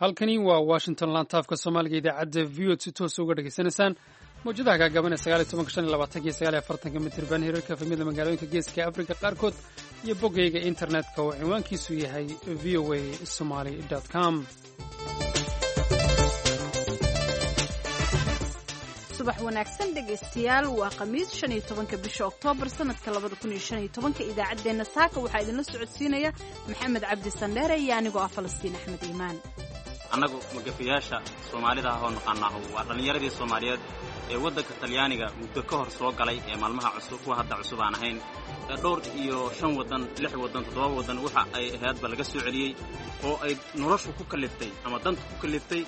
Halkani waa Washington, laantaafka Soomaaliga, idaacadda V O si toosa uga dhegaysanaysaan mawjadaha gaagaaban ee 19, 25 iyo 49-ka mitirban, hirarka efemyada magaalooyinka Geeska Afrika qaarkood iyo boggayga internetka oo cinwaankiisu yahay voasomali com. Subax wanaagsan, dhegaystayaal. Waa Khamiis, 15-ka bisha Oktoobar, sanadka 2015-ka. Idaacaddeenna saaka waxaa idinla socodsiinaya Maxamed Cabdi Sandheere iyo anigoo ah Falastiin Axmed Iimaan. Annagu magafayaasha Soomaalida ah oo naqaanaahu waa dhallinyaradii Soomaaliyeed ee waddanka Talyaaniga muddo ka hor soo galay, ee maalmaha cusub, kuwa hadda cusub aan ahayn, ee dhowr iyo shan waddan, lix waddan, toddoba waddan waxa ay ahaydba laga soo celiyey, oo ay noloshu ku kalliftay ama danta ku kalliftay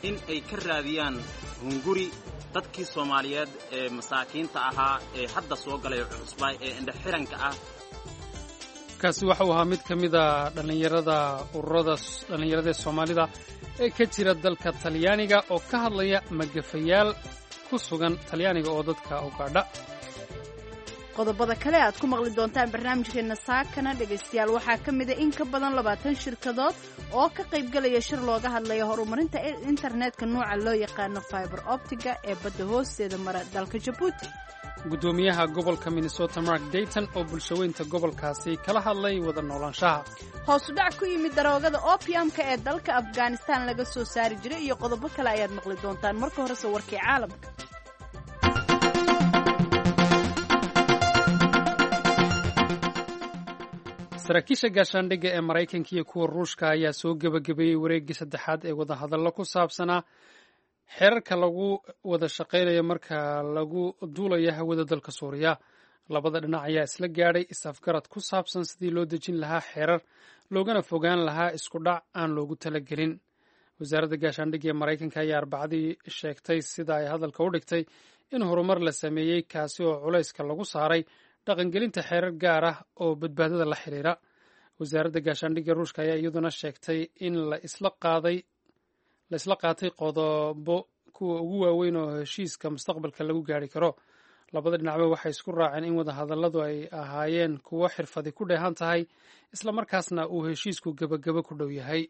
in ay ka raadiyaan hunguri dadkii Soomaaliyeed ee masaakiinta ahaa ee hadda soo galay cusbaa ee indhaxiranka ah. Kaasi waxa uu ahaa mid ka mid a dhallinyarada ururada dhallinyarada ee Soomaalida ee ka jira dalka Talyaaniga oo ka hadlaya magafayaal ku sugan Talyaaniga oo dadka ugaadha. Qodobada kale aad ku maqli doontaan barnaamijkeenna saakana, dhegaystayaal, waxaa ka mida in ka badan 20 shirkadood oo ka qaybgalaya shir looga hadlaya horumarinta internetka nooca loo yaqaano fiber optic-ga ee badda hoosteeda mara dalka Jabuuti. Guddoomiyaha gobolka Minnesota Mark Dayton oo bulshaweynta gobolkaasi kala hadlay wada noolaanshaha. Hoosudhac ku yimid daroogada opiumka ee dalka Afghanistan laga soo saari jiray iyo qodobo kale ayaad maqli doontaan. Marka horese warkii caalamka. Saraakiisha gaashaandhigga ee Maraykanka iyo kuwa Ruushka ayaa soo gebagabeeyey wareeggii saddexaad ee wadahadallo ku saabsanaa xeerarka lagu wada shaqaynayo marka lagu duulayo hawada dalka Suuriya. Labada dhinac ayaa isla gaadhay is-afgarad ku saabsan sidii loo dejin lahaa xeerar, loogana fogaan lahaa isku dhac aan loogu talagelin. Wasaaradda gaashaandhigga ee Maraykanka ayaa Arbacadii sheegtay, sida ay hadalka u dhigtay, in horumar la sameeyey, kaasi oo culayska lagu saaray dhaqangelinta xeerar gaar ah oo badbaadada la xiriira. Wasaaradda gaashaandhigga Ruushka ayaa iyaduna sheegtay in la isla qaatay qodobo kuwa ugu waaweyn oo heshiiska mustaqbalka lagu gaari karo. Labada dhinacba waxay isku raaceen in wadahadalladu ay ahaayeen kuwo xirfadi ku dheehan tahay, islamarkaasna uu heshiisku gebagabo ku dhow yahay.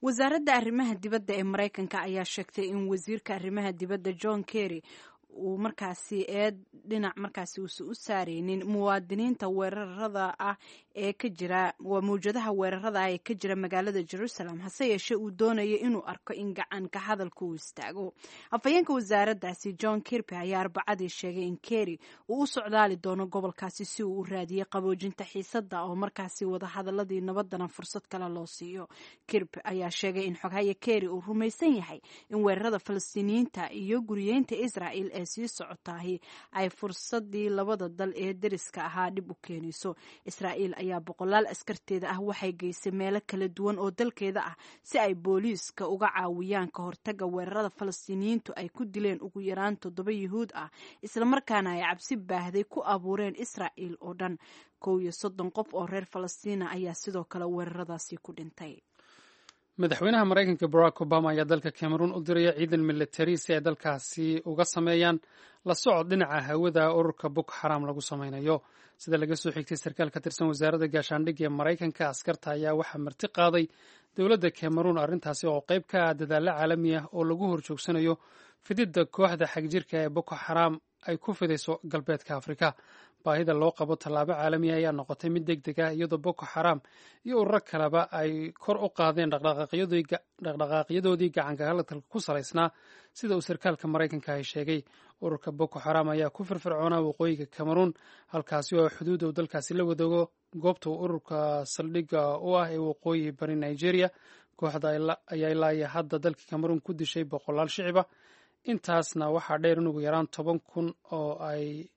Wasaaradda arrimaha dibadda ee Maraykanka ayaa sheegtay in wasiirka arrimaha dibadda John Kerry uu markaasi eed dhinac markaasi uusan u saareynin muwaadiniinta weerarada ah ee ka jira, waa mawjadaha weerarada ah ee ka jira magaalada Jerusalem, hase yeeshee uu doonayo inuu arko in gacanka hadalka uu istaago. Afhayeenka wasaaraddaasi John Kirby ayaa Arbacadii sheegay in Kerry uu u socdaali doono gobolkaasi si uu u raadiyey qaboojinta xiisadda oo markaasi wadahadaladii nabadana fursad kale loo siiyo. Kirby ayaa sheegay in xoghaye Kerry uu rumaysan yahay in weerarada Falastiiniyiinta iyo guriyeynta Israel ee sii socotaahi ay fursadii labada dal ee deriska ahaa dhib u keenayso. Israa'iil ayaa boqolaal askarteeda ah waxay geysay meelo kala duwan oo dalkeeda ah si ay booliiska uga caawiyaan ka hortaga weerarada Falastiiniyiintu ay ku dileen ugu yaraan toddoba Yuhuud ah, islamarkaana ay cabsi baahday ku abuureen Israa'iil oo dhan. 31 qof oo reer Falastiina ayaa sidoo kale weeraradaasi ku dhintay. Madaxweynaha Maraykanka Barack Obama ayaa dalka Cameroon u diraya ciidan militari si ay dalkaasi uga sameeyaan la socod dhinaca hawada ururka Boko Xaram lagu sameynayo. Sida laga soo xigtay sarkaal ka tirsan wasaaradda gaashaandhigga ee Maraykanka, askarta ayaa waxaa marti qaaday dowladda Cameroon, arrintaasi oo qayb ka ah dadaalo caalami ah oo lagu horjoogsanayo fididda kooxda xagjirka ee Boko Xaram ay ku fidayso galbeedka Afrika. Baahida loo qabo tallaabo caalami ah ayaa noqotay mid deg deg ah, iyadoo Boko Xaram iyo ururo kaleba ay kor u qaadeen dhaqdhaqaaqyadoodii gacanka hadalka ku salaysnaa, sida uu sarkaalka Maraykanka ay sheegay. Ururka Boko Xaram ayaa ku firfircoonaa waqooyiga Cameroon, halkaasi oo xuduud uu dalkaasi la wadaago goobta uu ururka saldhigga u ah ee waqooyi bari Nigeria. Kooxda ayaa ilaa iyo hadda dalka Cameroon ku dishay boqolaal shiciba. Intaasna waxaa dheer in ugu yaraan 10,000 oo ay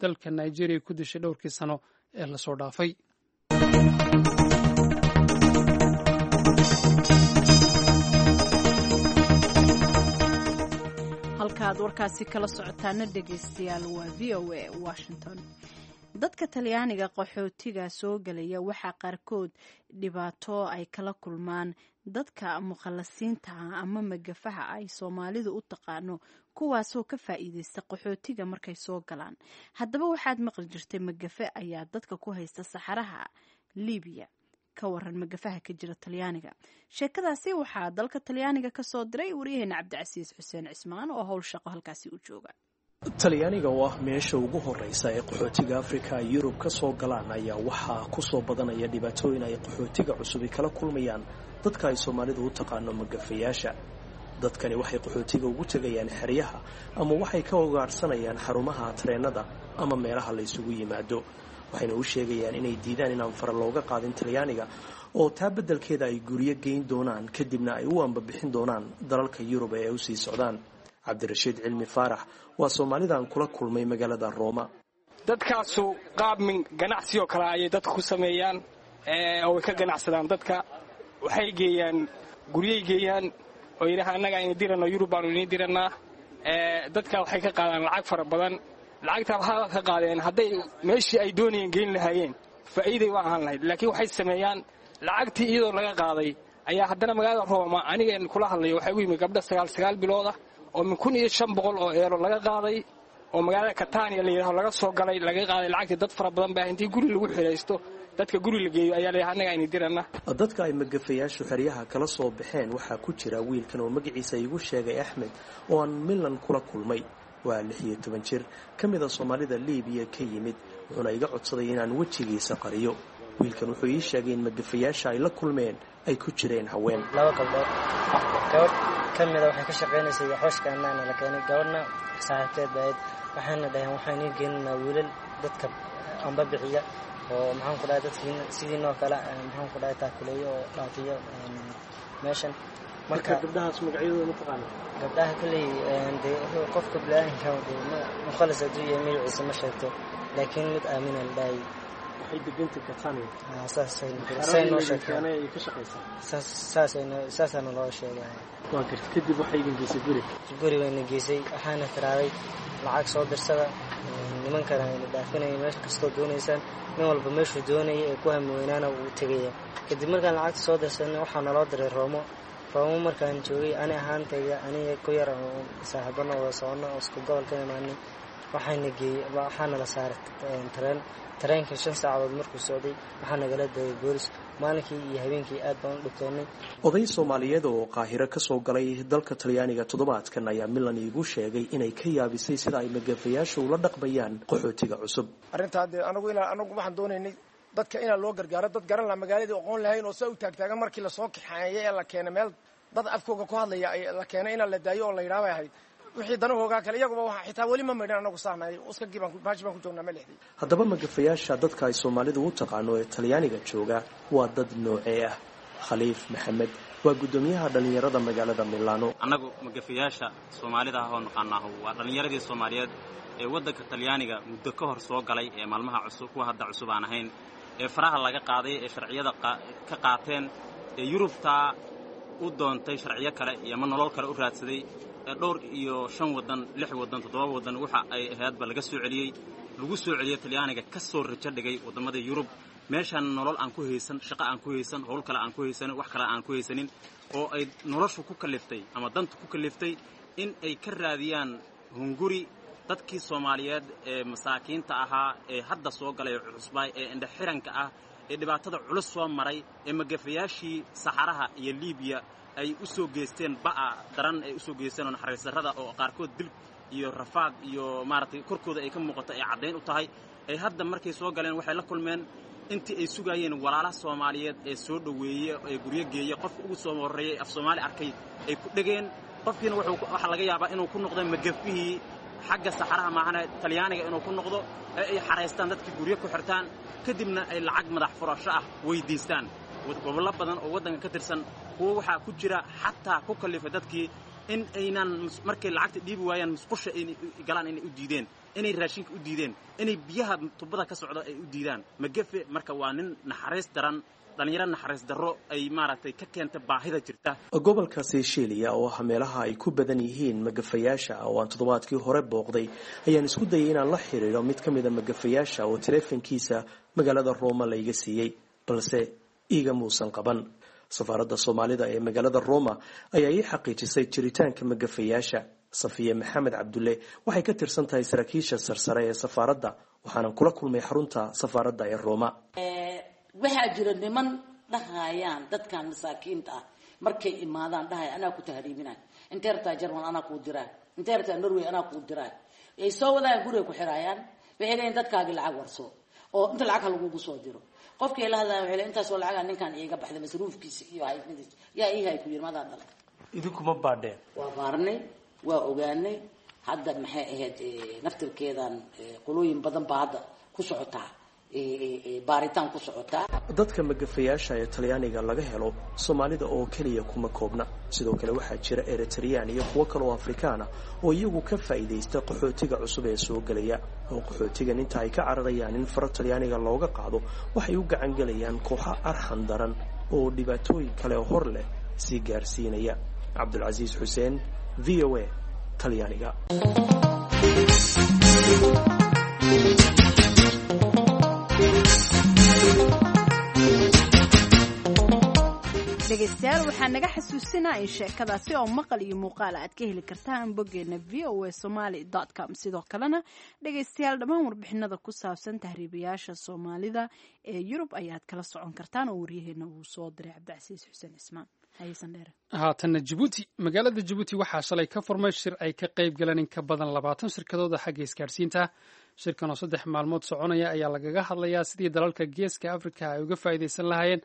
dalka Nigeria ku dishay dhowrkii sano ee lasoo dhaafay. Halka aad warkaasi kala socotaana, dhegaystayaal, waa VOA Washington. Dadka Talyaaniga qaxootiga soo gelaya waxaa qaarkood dhibaato ay kala kulmaan dadka mukhalasiinta ah ama magafaha ay Soomaalidu u taqaano, kuwaasoo ka faa'iideysta qaxootiga markay soo galaan. Haddaba waxaad maqli jirtay magafe ayaa dadka ku haysta saxaraha Libiya. Ka waran magafaha ka jira Talyaaniga? Sheekadaasi waxaa dalka Talyaaniga kasoo diray waryaheena Cabdicasiis Xuseen Cismaan oo howl shaqo halkaasi u jooga. Talyaaniga oo ah meesha ugu horeysa ee qaxootiga Afrika ay Yurub ka soo galaan ayaa waxaa ku soo badanaya dhibaatooyin ay qaxootiga cusubi kala kulmayaan dadka ay Soomaalidu u taqaano magafayaasha. Dadkani waxay qaxootiga ugu tegayaan xeryaha ama waxay ka ogaarhsanayaan xarumaha tareennada ama meelaha la isugu yimaado, waxayna u sheegayaan inay diidaan inaan fara looga qaadin Talyaaniga oo taa beddelkeeda ay guryo geyn doonaan, kadibna ay u ambabixin doonaan dalalka Yurub ee ay usii socdaan. Cabdirashiid Cilmi Faarax waa Soomaalidan kula kulmay magaalada Rooma. Dadkaasu qaab min ganacsi oo kale ayay dadka ku sameeyaan oo way ka ganacsadaan dadka. Waxay geeyaan guryay geeyaan oo yidhaha annaga aynu dirano, Yurub baanu idiin dirannaa. Dadka waxay ka qaadaan lacag fara badan. Lacagtaa waxaa ka qaadeen, hadday meeshii ay doonayeen geyn lahaayeen faa'iiday u ahaan lahayd, laakiin waxay sameeyaan lacagtii iyadoo laga qaaday ayaa haddana magaalada Rooma anigeen kula hadlayo waxaa ugu yimid gabdha 9 9 biloodah oo min 1500 oo eero laga qaaday oo magaalada Katania la yidhaho laga soo galay, laga qaaday lacagtii. Dad fara badan baa intii guri lagu xidhaysto, dadka guri la geeyo ayaa la yidhaha annaga aynu dirana. Dadka ay magafayaashu xeryaha kala soo baxeen waxaa ku jira wiilkan oo magaciisa igu sheegay Axmed oo aan Milan kula kulmay. Waa 16 jir ka mid a Soomaalida Liibiya ka yimid, wuxuuna iga codsaday inaan wejigiisa qariyo. Wiilkan wuxuu ii sheegay in magafayaasha ay la kulmeen ay ku jireen haween. Laba gabdhood, gabadh ka mida waxay ka shaqaynaysay xooshka annaana la keenay, gabadhna saaxiibteed bahayd. Waxayna dhaheen waxaan ii geeninaa wiilal dadka amba bixiya oo maxaan ku dhahay dadkiin sidiinoo kale maxaan ku dhahay taakuleeyo oo dhaafiyo meeshan. Marka gabdhahaas magacyadooda ma taqaana? Gabdhaha kolley dee qofka bilaadanka dee mukhalis hadduu yahay magaciisa ma sheegto, laakiin mid Aamina la dhahay. Waxay degantay Catania. Saasay noo sheegtay. Ay ka shaqaysaa. Saasaana loo sheegay. Waa garta. Kadib waxay idin geysay guri? Guri bayna geysay, waxaana tiraaday lacag soo dirsada, nimankana ayna dhaafinaya meesha kastoo doonaysaan. Nin walba meeshuu doonaya ee ku hami weynaana wuu tegaya. Kadib markaan lacagta soo dirsanay waxaa naloo diray Roomo. Roomo markaan joogay, ani ahaantayda aniga ku yar oo saaxiibana wada socono oo isku gobol ka imaanay, waxaana geeyey, waxaana la saaray tareen. Tareenka 5 saacadood markuu socday waxaa nagala dayay boolis. Maalinkii iyo habeenkii aad baan u dhibtoonnay. Oday Soomaaliyeed oo Qaahiro ka soo galay dalka Talyaaniga toddobaadkan ayaa Milan iigu sheegay inay ka yaabisay sida ay magafayaashu ula dhaqmayaan qaxootiga cusub. Arrintaa dee anagu inaa anagu waxaan doonaynay dadka inaa loo gargaaro, dad garan laha magaaladii aqoon lahayn oo saa u taagtaagan markii lasoo kaxeeyay ee la keenay meel dad afkooga ku hadlaya la keenay inaa la daayo oo la yidhaha bay ahayd. Wixii danahoogaa kale iyaguba waxa xitaa weli ma maydhan, anagu saanahay uskagii baan baashi baan ku joognaa ma lexday. Haddaba magafayaasha dadka ay Soomaalidu u taqaano ee Talyaaniga jooga waa dad noocee ah? Khaliif Maxamed waa guddoomiyaha dhallinyarada magaalada Milano. Annagu magafayaasha Soomaalida ah oo naqaanaahu waa dhallinyaradii Soomaaliyeed ee waddanka Talyaaniga muddo ka hor soo galay ee maalmaha cusub, kuwa hadda cusub aan ahayn, ee faraha laga qaaday ee sharciyada ka qaateen ee Yurubtaa u doontay sharciyo kale iyo ama nolol kale u raadsaday ee dhowr iyo shan waddan, lix waddan, toddoba waddan waxa ay ahaydba laga soo celiyey, lagu soo celiyey Talyaaniga, ka soo rajo dhigay waddammada Yurub, meeshaan nolol aan ku haysan, shaqo aan ku haysan, howl kale aan ku haysanin, wax kale aan ku haysanin, oo ay noloshu ku kalliftay ama danta ku kalliftay in ay ka raadiyaan hunguri dadkii Soomaaliyeed ee masaakiinta ahaa ee hadda soo galay cusbaay ee indhaxiranka ah ee dhibaatada culus soo maray ee magafayaashii saxaraha iyo Liibiya ay u soo geysteen ba'a daran ay u soo geysteen oo naxariis darrada oo qaarkood dil iyo rafaad iyo maaragtay korkooda ay ka muuqato ay caddayn u tahay. Ay hadda markay soo galeen waxay la kulmeen intii ay sugaayeen walaalaha Soomaaliyeed ee soo dhoweeye ee guryo geeye. Qofka ugu soo horreeyey af Soomaali arkay ay ku dhegeen, qofkiina waxaa laga yaabaa inuu ku noqdo magafihii xagga saxaraha maahane Talyaaniga inuu ku noqdo ee ay xaraystaan dadkii guryo ku xirtaan, kadibna ay lacag madax furasho ah weydiistaan. Gobollo badan oo waddanka ka tirsan kuwo waxaa ku jira xataa ku kallifay dadkii in aynan markay lacagta dhiibi waayaan musqusha ay galaan inay u diideen, inay raashinka u diideen, inay biyaha tubada ka socda ay u diidaan. Magafe marka waa nin naxariis daran, dhallinyaro naxariis darro ay maaragtay ka keenta baahida jirta. Gobolka Seychelles oo ah meelaha ay ku badan yihiin magafayaasha oo aan toddobaadkii hore booqday ayaan isku dayay inaan la xiriiro mid ka mida magafayaasha oo taleefankiisa magaalada Rooma layga siiyey, balse iiga muusan qaban. Safaaradda Soomaalida ee magaalada Roma ayaa ii xaqiijisay jiritaanka magafayaasha. Safiye Maxamed Cabdulle waxay ka tirsan tahay saraakiisha sarsare ee safaaradda, waxaanan kula kulmay xarunta safaaradda ee Roma. Waxaa jira niman Dhahayaan dadkan masaakiinta ah markay imaadaan dhahaya, "Anaa ku tahriibinay, intee rabtaa? Jerman anaa kuu diraa, intee rabtaa? Norway anaa kuu diraa." Ay soo wadayaan, guriga ku xiraayaan. Waxay leeyiin, "Dadkaagi lacag warso oo inta lacag ha lagugu soo diro." Qofkii la hadlaya waxay leeyiin, "Intaasoo lacagaa ninkan iiga baxday, masruufkiisa iyo haysmadiisa yaa ii hay ku yiri, madaa dhalay?" Idinkuma baadheen? Waa baarnay, waa ogaanay. Hadda maxay ahayd, naftirkeedan qolooyin badan baa hadda ku socotaa, baaritaan ku socotaa. Dadka magafayaasha ee Talyaaniga laga helo Soomaalida oo keliya kuma koobna. Sidoo kale waxaa jira Eritreyaan iyo kuwo kale oo Afrikaana oo iyagu ka faa'iidaysta qaxootiga cusub ee soo gelaya, oo qaxootigan inta ay ka cararayaan in faro Talyaaniga looga qaado, waxay u gacan gelayaan kooxo arxan daran oo dhibaatooyin kale hor leh sii gaarsiinaya. Cabdulcasiis Xuseen, VOA, Talyaaniga. Dhegaystayaal, waxaa naga xasuusinaa in sheekadaasi oo maqal iyo muuqaal aad ka heli kartaan boggeena voasomali.com. Sidoo kalena, dhegaystayaal, dhammaan warbixinada ku saabsan tahriibayaasha Soomaalida ee Yurub ayaad kala socon kartaan oo waryaheena uu soo diray Cabdicasiis Xuseen Cismaan. Haatanna Jabuuti. Magaalada Jabuuti waxaa shalay ka furmay shir ay ka qayb galeen in ka badan 20 shirkadooda xagga isgaadhsiinta. Shirkan oo 3 maalmood soconaya ayaa lagaga hadlayaa sidii dalalka Geeska Afrika ay uga faa'iidaysan lahaayeen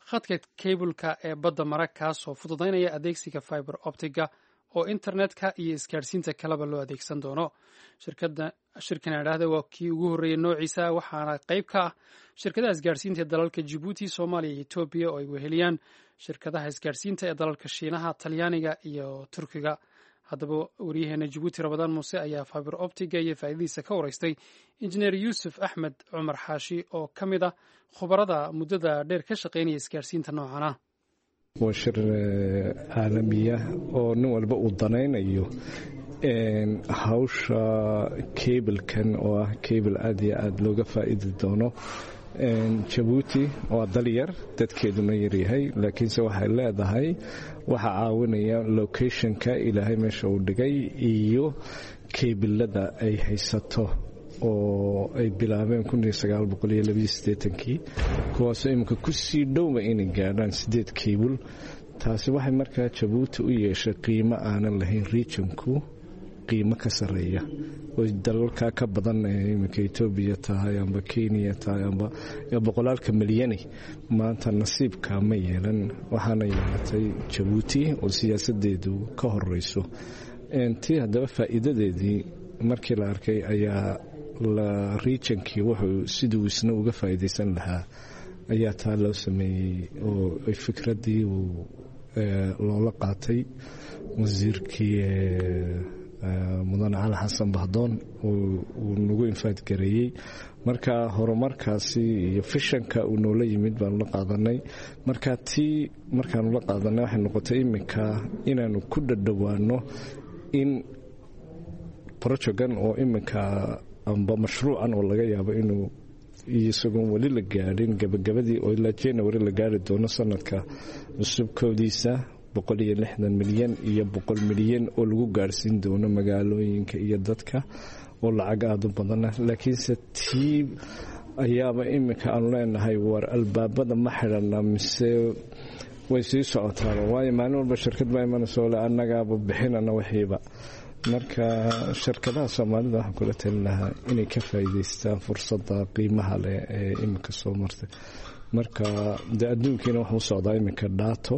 khadka kaybulka ee badda mara, kaasoo fududaynaya adeegsiga fiber optiga oo internetka iyo isgaadhsiinta kaleba loo adeegsan doono. Shirkan idhaahda waa kii ugu horreeyey noociisa, waxaana qayb ka ah shirkadaha isgaadhsiinta ee dalalka Jabuuti, Soomaaliya iyo Etoobiya, oo ay weheliyaan shirkadaha isgaadhsiinta ee dalalka Shiinaha, Talyaaniga iyo Turkiga. Haddaba, waryaheena Jabuuti Rabadaan Muuse ayaa fiber optiga iyo faa'iidadiisa ka waraystay Injineer Yuusuf Axmed Cumar Xaashi oo ka mid ah khubarada muddada dheer ka shaqaynaya isgaadhsiinta noocan ah. Waa shir caalamiya oo nin walba uu danaynayo hawsha kablkan, oo ah kabel aad iyo aad looga faa'iidi doono. Jabuuti waa dal yar, dadkeeduna yaryahay, laakiinse waxay leedahay waxa caawinaya locationka Ilaahay meesha uu dhigay iyo kebilada ay haysato oo ay bilaabeen kii, kuwaasoo iminka kusii dhowba inay gaadhaan sideed keybul. Taasi waxay markaa Jabuuti u yeeshay qiimo aanan lahayn regionku, qiimo ka sareeya oo dalalka ka badan ee iminka Etoobiya tahay amba Kenya tahay amba boqolaalka milyani maanta nasiibka ma yeelan. Waxaana yeelatay Jabuuti oo siyaasadeedu ka horeyso. Tii haddaba faa'iidadeedii markii la arkay ayaa la regionkii wuxuu siduu isna uga faa'iidaysan lahaa ayaa taa loo sameeyey, oo fikraddii uu loola qaatay wasiirkii Mudane Cali Xasan Bahdoon uu nagu infaadgareeyey. Marka horumarkaasi iyo fishanka uu noola yimid baanu la qaadanay. Marka tii markaanu la qaadanay, waxay noqotay iminka inaanu ku dhadhowaano in projectgan oo iminka amba mashruucan oo laga yaabo inuu isagoon weli la gaadhin gabagabadii oo ilaa January la gaari doono sanadka cusub koodiisa, 160 milyan iyo 100 milyan oo lagu gaarhsiin doono magaalooyinka iyo dadka, oo lacag aada u badana. Laakiinse tii ayaaba iminka aanu leenahay, war albaabada ma xidhana mise way sii socotaaba? Waayo, maalin walba shirkad baa imanaysa ole annagaaba bixinana wixiiba. Marka shirkadaha Soomaalida waxaan kula talin lahaa inay ka faa'iidaystaan fursadda qiimaha leh ee iminka soo martay. Marka dee adduunkiina wuxuu socdaa iminka data,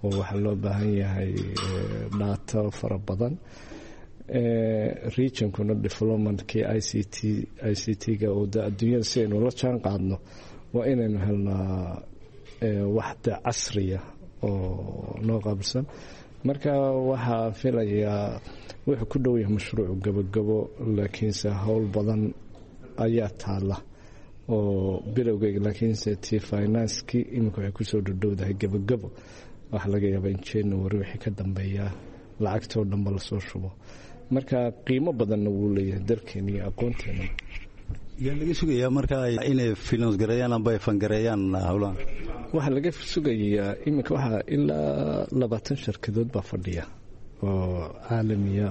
oo waxaa loo baahan yahay data fara badan. Regionkuna developmentkii ICT, ICT-ga oo de adduunyada si aynu la jaan qaadno, waa inaynu helnaa waxda casriya oo noo qaabilsan. Marka waxaa filayaa wuxuu ku dhow yahay mashruucu gabogabo, laakiinse howl badan ayaa taala oo bilowgeyga, laakiinse tii financekii iminka waxay kusoo dhodhowdahay gabogabo. Waxaa laga yaabaa in January wixii ka dambeeyaa lacagtoo dhanba lasoo shubo. Marka qiimo badanna wuu leeyahay dalkeena iyo aqoonteena. Yaa laga sugayaa marka inay finance gareeyaan amba ay fangareeyaan howlahan? Waxaa laga sugayaa iminka waxaa ilaa 20 shirkadood baa fadhiya oo caalamiya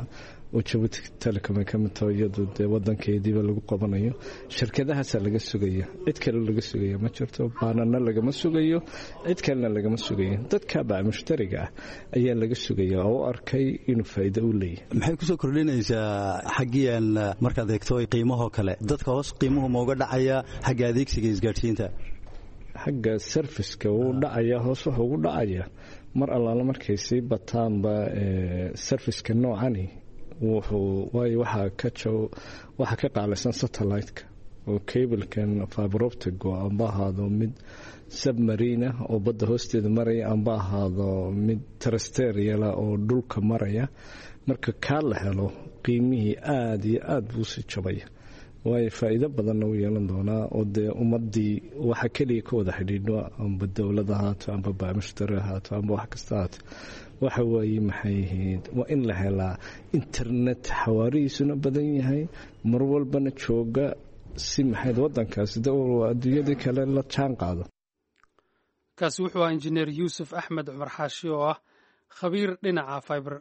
Oo Jabuuti Telecom ay ka mid taho, iyadu dee wadankeediiba lagu qabanayo. Shirkadahaasaa laga sugaya, cid kale laga sugaya ma jirto. Baanana lagama sugayo, cid kalena lagama sugayo. Dadka baa mushtariga ah ayaa laga sugaya oo u arkay inuu faa'iido u leeyahay. Maxay kusoo kordhinaysaa xaggiian markaad eegto qiimahoo kale? Dadka hoos qiimuhu ma uga dhacaya xagga adeegsiga isgaadhsiinta? Xagga serviceka wuu dhacaya hoos. Wuxuu ugu dhacaya mar allaala markay sii bataanba serviceka noocani, wuxuu waayo waxaa ka qaalaysan satellite-ka oo cablekan fiber optic-go, amba ahaado mid submarine ah oo badda hoosteeda maraya, amba ahaado mid terrestrial oo dhulka maraya. Marka kaa la helo, qiimihii aada iyo aada buu usii jabaya, waayo faa'iido badanna u yeelan doonaa. Oo dee ummadii waxa keliya ka wada xidhiidho, amba dowlad ahaato, amba baamushtari ahaato, amba wax kasta ahaato, waxa waaye maxay ahayd, waa in la helaa internet xawaarihiisuna badan yahay, mar walbana jooga, si maxayd wadankaasi de adduunyadii kale la jaan qaado. Kaasi wuxuu ahaa Injineer Yuusuf Axmed Cumar Xaashi oo ah khabiir dhinaca fiber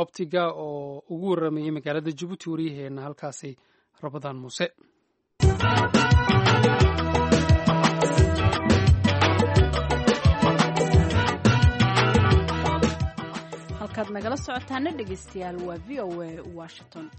optic-ga oo ugu warramayey magaalada Jabuuti waryaheena halkaasi, Rabadaan Muuse. Halkaad nagala socotaana, dhegeystayaal, waa VOA Washington.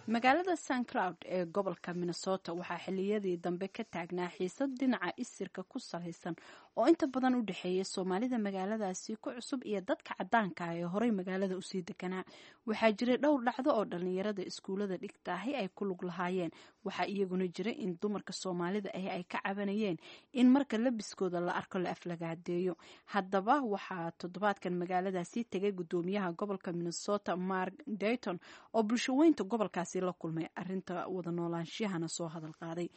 Magaalada St Cloud ee gobolka Minnesota waxaa xiliyadii dambe ka taagnaa xiisad dhinaca isirka ku salaysan oo inta badan u dhexeeya Soomaalida magaaladaasi ku cusub iyo dadka cadaanka ah ee horey magaalada usii deganaa. Waxaa jiray dhowr dhacdo oo dhalinyarada iskuulada dhigtaahi ay ku lug lahaayeen. Waxaa iyaguna jiray in dumarka Soomaalida ahi ay ka cabanayeen in marka labiskooda la arko la aflagaadeeyo. Haddaba waxaa toddobaadkan magaaladaasi tegay gudoomiyaha gobolka Minnesota, Mark Dayton, oo bulshaweynta gobolkaasi la kulmay, arinta wada noolaanshiyahana soo hadal qaaday.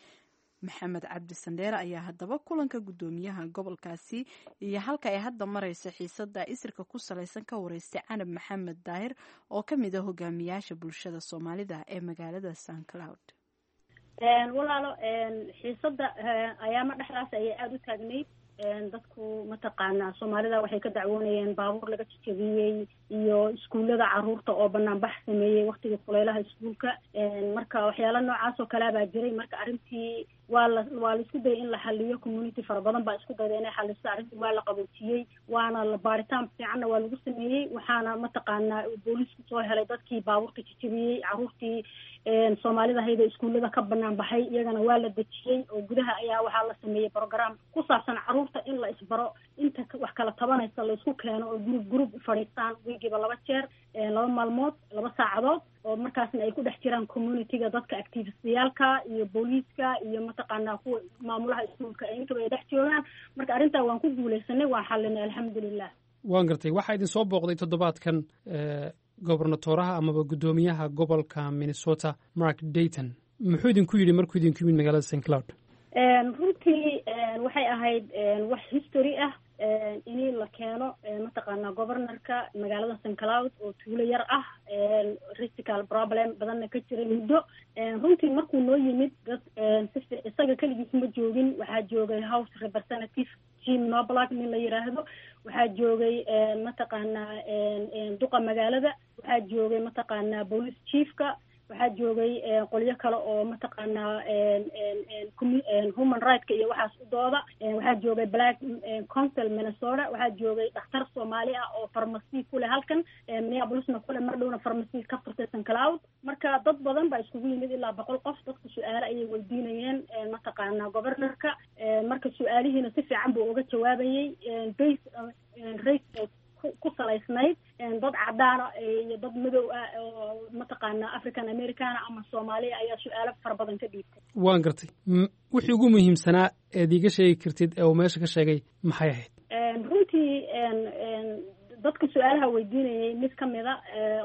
Maxamed Cabdi Sandheere ayaa haddaba kulanka gudoomiyaha gobolkaasi iyo halka ay hadda marayso xiisada isirka ku salaysan ka wareystay Canab Maxamed Daahir oo ka mid ah hogaamiyaasha bulshada Soomaalida ee magaalada St Cloud. Walaalo, xiisada ayaama dhexdaas ayay aada u taagnayd. Dadku mataqaanaa Soomaalida waxay ka dacwoonayeen baabuur laga jajabiyey iyo iskuullada caruurta oo banaanbax sameeyey waktigii kuleylaha iskuulka. Marka waxyaala noocaas oo kalea baa jiray. Marka arrintii waa la isku dayay in la xaliyo. Community fara badan baa isku dayda inay xaliso arrintii. Waa la qaboojiyey, waana la baaritaan fiicanna waa lagu sameeyey. Waxaana mataqaanaa booliisku soo helay dadkii baabuurta jajabiyey. Caruurtii Soomaalida hayda iskuullada ka banaan baxay iyagana waa la dejiyey, oo gudaha ayaa waxaa la sameeyey program ku saabsan caruurta in la isbaro, inta wax kala tabanaysa la isku keeno oo group group u fadhiistaan wiigiiba 2 jeer, 2 maalmood, 2 saacadood, oo markaasna ay ku dhex jiraan communityga, dadka activistayaalka iyo booliiska iyo mataqaanaa kuwa maamulaha iskuulka, intaba ay dhex joogaan. Marka arrintaa waan ku guuleysanay, waan xalinay, alxamdulilah. Waan gartay. Waxaa idin soo booqday toddobaadkan gobernatoraha amaba guddoomiyaha gobolka Minnesota, Mark Dayton. Muxuu idinku yidhi markuu idinku yimid magaalada St Cloud? Runtii waxay ahayd wax history ah in la keeno mataqaanaa governorka magaalada St Cloud oo tuulo yar ah, racial problem badanna ka jiray muddo. Runtii markuu noo yimid, dad si isaga keligiis ma joogin. Waxaa joogay House Representative Jim Knoblach nin la yiraahdo, waxaa joogay mataqaanaa duqa magaalada, waxaa joogay mataqaanaa police chiefka, waxaa joogay qolyo kale oo mataqaanaa human rightka iyo waxaas u dooda, waxaa joogay Black Council Minnesota, waxaa joogay dhakhtar Soomaali ah oo pharmacy ku leh halkan Minneapolisna kule, mar dhowna pharmacy ka furtay St Cloud. Marka dad badan baa iskugu yimid, ilaa 100 qof. Dadku su-aalo ayay weydiinayeen mataqaanaa governorka. Marka su-aalihiina si fiican buu uga jawaabayay, base race ku salaysnayd, dad cadaana iyo dad madow ah oo mataqaanaa African Americana ama Soomaaliya ayaa su-aalo fara badan ka dhiibtay. Waan gartay. Wixii ugu muhiimsanaa eed iiga sheegi kartid ee uu meesha ka sheegay maxay ahayd? Runtii dadka su-aalaha weydiinayay mid kamida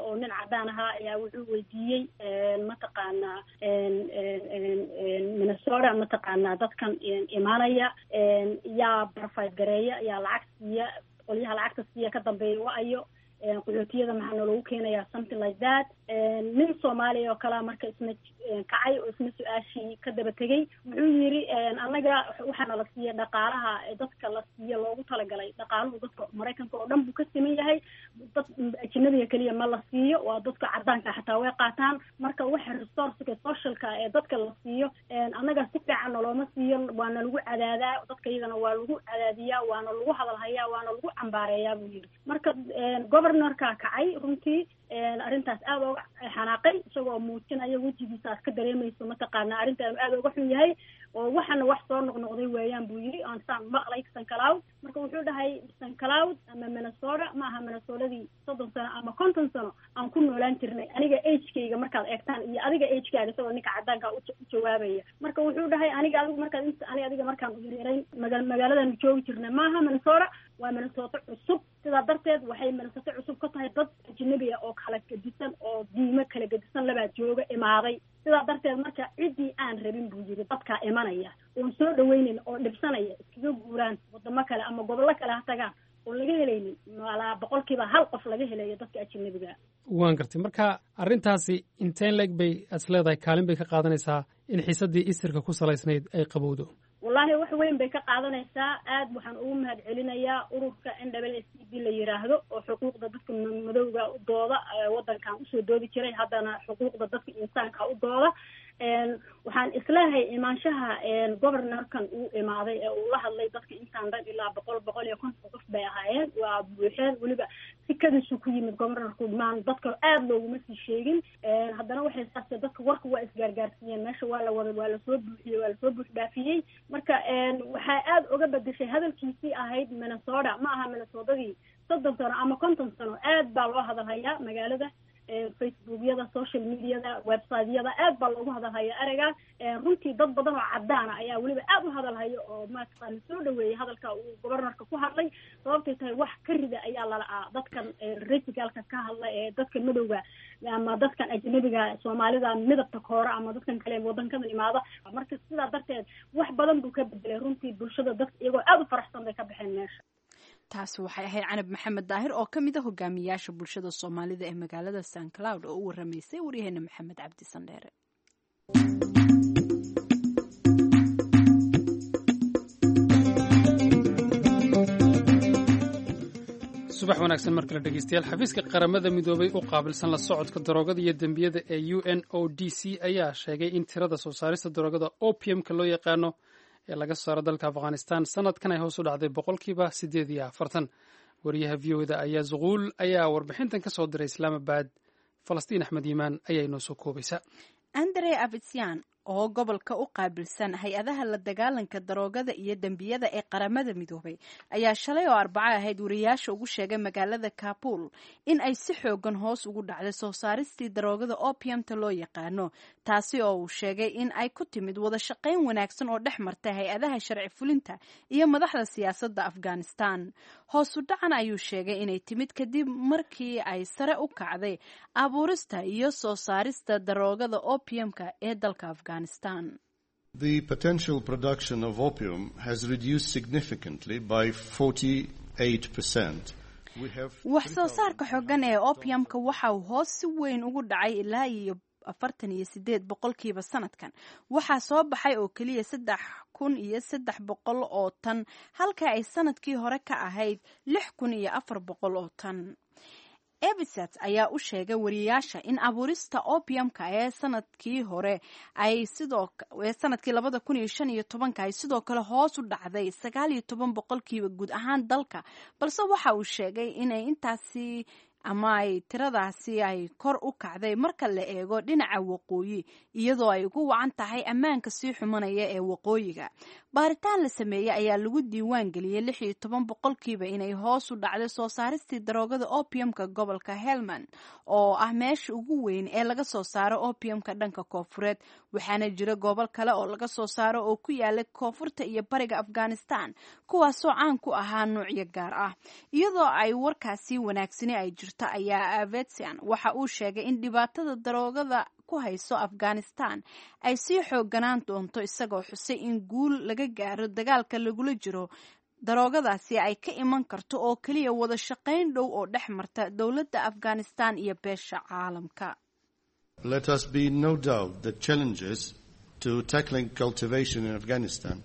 oo nin cadaan ahaa ayaa wuxuu weydiiyey mataqaanaa Minnesota mataqaanaa dadkan imaanaya yaa provide gareeya, yaa lacag siiya, qolyaha lacagta siiya ka dambeeya wa-ayo. Qaxootiyada maxaa naloogu keenayaa, something like that. Nin Soomaaliya oo kalea marka isna kacay oo isna su-aashii ka daba tegey. Wuxuu yiri, annaga waxaana la siiya dhaqaalaha dadka la siiya loogu talagalay. Dhaqaaluhu dadka Maraykanka oo dhan buu ka siman yahay, dad ajnabiga keliya ma la siiyo, waa dadka cadaanka xataa way qaataan. Marka waxa resourceka socialka ee dadka la siiyo annaga si fiican nalooma siiyo, waana lagu cadaadaa dadka, iyagana waa lagu cadaadiyaa, waana lagu hadalhayaa, waana lagu cambaareeyaa, buu yiri. Marka governorka kacay, runtii arrintaas aada oga xanaaqay, isagoo muujinaya wejigiisa aad ka dareemayso mataqaana arrintaanu aada oga xun yahay, oo waxana wax soo noqnoqday weeyaan, buu yiri, aan saan maqlay St. Cloud. Marka wuxuu dhahay, St. Cloud ama Minnesota ma aha Minnesotadii 30 sano ama 50 sano aan ku noolaan jirnay, aniga agekayga markaad eegtaan iyo adiga agekaaga, isagoo ninka cadaanka u jawaabaya. Marka wuxuu dhahay, aniga adigu markaad int ani adiga markaan yaryarayn magaaladan joogi jirnay maaha Minnesota, waa Minnesota cusub. Sidaa darteed waxay Minnesota cusub ka tahay dad ajnabi ah oo kala gedisan oo diimo kala gedisan labaa jooga imaaday. Sidaa darteed marka ciddii aan rabin, buu yiri, dadkaa imanaya oon soo dhaweynayn oo dhibsanaya iskaga guuraan wadamo kale ama gobollo kale ha tagaan oon laga helaynin malaa 1% qof laga helayo dadka ajnabiga. Waan gartay. Marka arrintaasi inteen leeg bay as leedahay kaalin bay ka qaadanaysaa in xiisaddii isirka ku salaysnayd ay qabowdo? Wallaahi wax weyn bay ka qaadanaysaa. Aad waxaan ugu mahad celinayaa ururka NAACP la yiraahdo oo xuquuqda dadka madowga u dooda, waddankan usoo doodi jiray, haddana xuquuqda dadka insaanka u dooda. Waxaan isleehay imaanshaha governorkan uu imaaday ee uu la hadlay dadka intaan dhan, ilaa 100, 150 qof bay ahaayeen, waa buuxeen. Weliba si kadisu ku yimid governorku, maan dadka aada looguma sii sheegin. Haddana waxay saase dadka warka waa isgaargaarsiiyeen, meesha waa la wada, waa lasoo buuxiyey, waa lasoo buux dhaafiyey. Marka waxaa aada uga bedeshay hadalkiisii ahayd Minnesota ma aha Minnesotadii 30 sano ama 50 sano. Aad baa loo hadalhayaa magaalada, Facebookyada, social mediada, websiteyada aad baa loogu hadalhaya ereygaas. Runtii dad badan oo cadaana ayaa weliba aada u hadalhaya oo mataqaana soo dhaweeyay hadalka uu governorka ku hadlay, sababtay tahay wax ka rida ayaa lala'aa dadkan racialka ka hadla ee dadka madowga ama dadkan ajnabiga, Soomaalida midabta koora ama dadkan kale wadankadan imaada. Marka sidaa darteed wax badan buu ka bedelay runtii bulshada. Dadka iyagoo aada u faraxsan bay ka baxeen meesha. Taasi waxay ahayd Canab Maxamed Daahir oo ka mid a hogaamiyaasha bulshada Soomaalida ee magaalada St. Cloud oo u waramaysay waryaheena Maxamed Cabdi Sandheere. Subax wanaagsan mar kale, dhegeystayaal. Xafiiska Qaramada Midoobay u qaabilsan la socodka daroogada iyo dembiyada ee UNODC ayaa sheegay in tirada soo saarista daroogada opiumka loo yaqaano ee laga saaro dalka Afghanistan sanadkan ay hoos u dhacday 48%. Wariyaha VOA-da ayaa Zuquul ayaa warbixintan ka soo diray Islaamabad. Falastiin Axmed Yimaan ayaa inoo soo koobaysa. Andre Avitsian oo gobolka u qaabilsan hay-adaha la dagaalanka daroogada iyo dembiyada ee Qaramada Midoobay ayaa shalay oo Arbaco ahayd wariyaasha ugu sheegay magaalada Kabul in ay si xoogan hoos ugu dhacday soo saaristii daroogada opiumta loo yaqaano, taasi oo uu sheegay in ay ku timid wada shaqayn wanaagsan oo dhex martay hay-adaha sharci fulinta iyo madaxda siyaasadda Afghanistan. Hoosu dhacan ayuu sheegay inay timid kadib markii ay sare u kacday abuurista iyo soo saarista daroogada opiumka ee dalka Afghanistan. The potential production of opium has reduced significantly by 48%. Wax soo saarka xooggan ee opiumka waxa uu hoos si weyn ugu dhacay ilaa iyo 48% sanadkan. Waxaa soo baxay oo keliya 3300 oo tan, halka ay sanadkii hore ka ahayd 6400 oo tan. Ebisat ayaa u sheegay wariyaasha in abuurista opiumka ee sanadkii hore ay sidoo ee sanadkii 2015-ka ay sidoo kale hoos u dhacday 19% guud ahaan dalka, balse waxa uu sheegay inay intaasi ama ay tiradaasi ay kor u kacday marka la eego dhinaca waqooyi, iyadoo ay ugu wacan tahay ammaanka sii xumanaya ee waqooyiga. Baaritaan la sameeyey ayaa lagu diiwaan geliyey 16% inay hoos u dhacday soo saaristii daroogada opiumka gobolka Helmand oo ah meesha ugu weyn ee laga soo saaro opiumka dhanka koonfureed, waxaana jira gobol kale oo laga soo saaro oo ku yaala koonfurta iyo bariga Afghanistan, kuwaasoo caan ku ahaa nuucyo gaar ah. Iyadoo ay warkaasi wanaagsani ay jirto ayaa Avetsian waxa uu sheegay in dhibaatada daroogada ku hayso Afghanistan ay sii xooganaan doonto, isagoo xusay in guul laga gaaro dagaalka lagula jiro daroogadaasi ay ka iman karto oo keliya wada shaqayn dhow oo dhex marta dowladda Afghanistan iyo beesha caalamka. Let us be no doubt the challenges to tackling cultivation in Afghanistan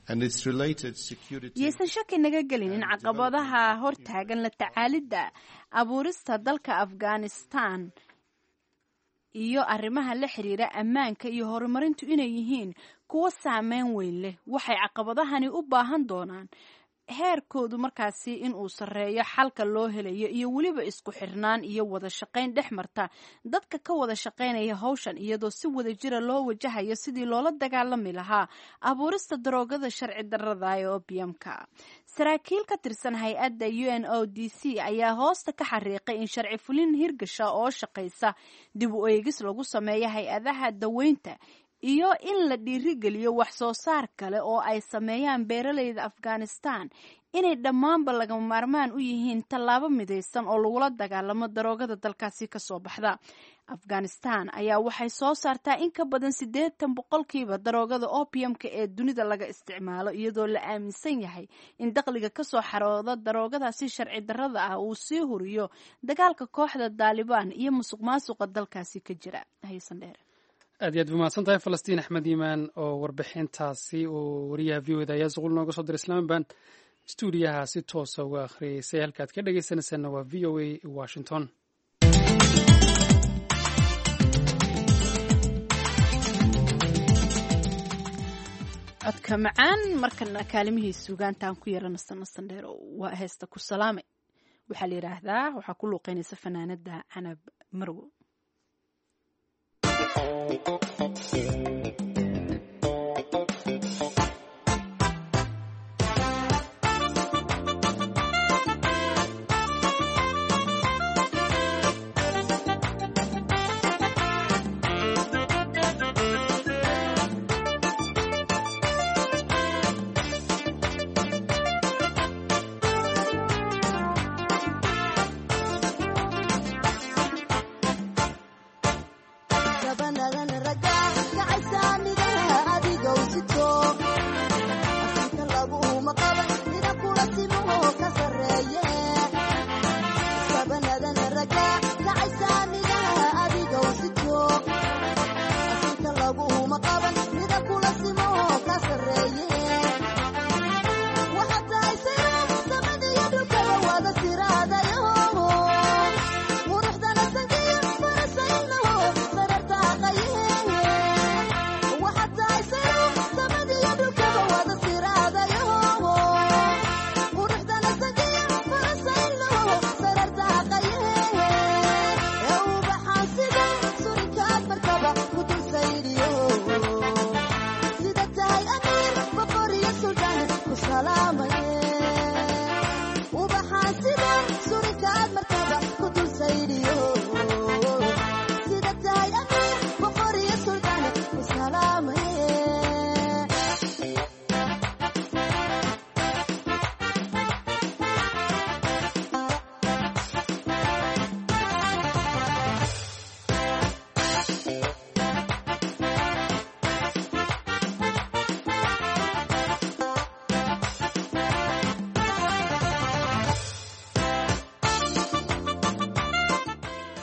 and its related security. Yaysan shaki naga gelin in caqabadaha hortaagan la tacaalidda abuurista dalka Afghanistan iyo arrimaha la xiriira ammaanka iyo horumarintu inay yihiin kuwo saameyn weyn leh. Waxay caqabadahani u baahan doonaan heerkoodu markaasi in uu sarreeyo xalka loo helayo iyo weliba isku xirnaan iyo wada shaqayn dhex marta dadka ka wada shaqaynaya hawshan, iyadoo si wada jira loo wajahayo sidii loola dagaalami lahaa abuurista daroogada sharci darrada ee opiumka. Saraakiil ka tirsan hay-adda UNODC ayaa hoosta ka xariiqay in sharci fulin hirgasha oo shaqaysa, dib u eegis lagu sameeyo hay-adaha daweynta iyo in la dhiirigeliyo wax soo saar kale oo ay sameeyaan beeralayda Afghanistan inay dhammaanba lagama maarmaan u yihiin tallaabo midaysan oo lagula dagaalamo daroogada dalkaasi kasoo baxda. Afghanistan ayaa waxay soo saartaa in ka badan 80% daroogada opiumka ee dunida laga isticmaalo, iyadoo la aaminsan yahay in dakhliga kasoo xarooda daroogadaasi sharci darrada ah uu sii huriyo dagaalka kooxda Daalibaan iyo musuq maasuqa dalkaasi ka jira. Haysandheer. Aad iyo aad ba mahadsan tahay Falastiin Axmed Iimaan oo warbixintaasi uu wariyaha VOA da ayaa suqul nooga soo diray Islaamaban stuudiyaha si toosa uga akhriyeysay. Halkaad ka dhegeysanaysaanna waa VOA Washington. Codka macaan markana kaalimihii suugaantaan ku yara nasan Sandheer waa heesta Ku Salaamay waxaa la yidhaahdaa, waxaa ku luuqeynaysa fanaanada Canab Marwo.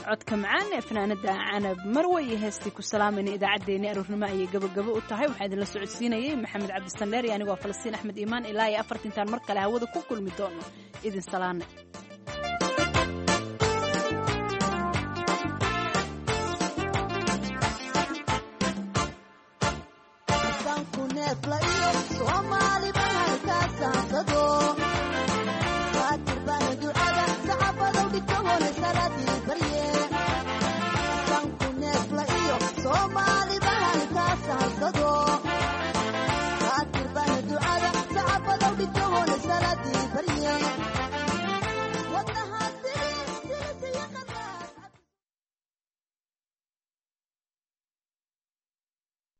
Codka macaan ee fanaanada Canab Marwe iyo heestii Ku Salaamayna idaacaddeenii aroornimo ayay gabagabo u tahay. Waxaa idinla socodsiinayay Maxamed Cabdisandheer iyo anigoo Falastiin Axmed Iimaan. Ilaa iyo afartintaan mar kale hawada ku kulmi doono, idin salaanay.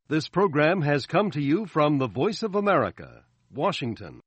This program has come to you from the Voice of America, Washington.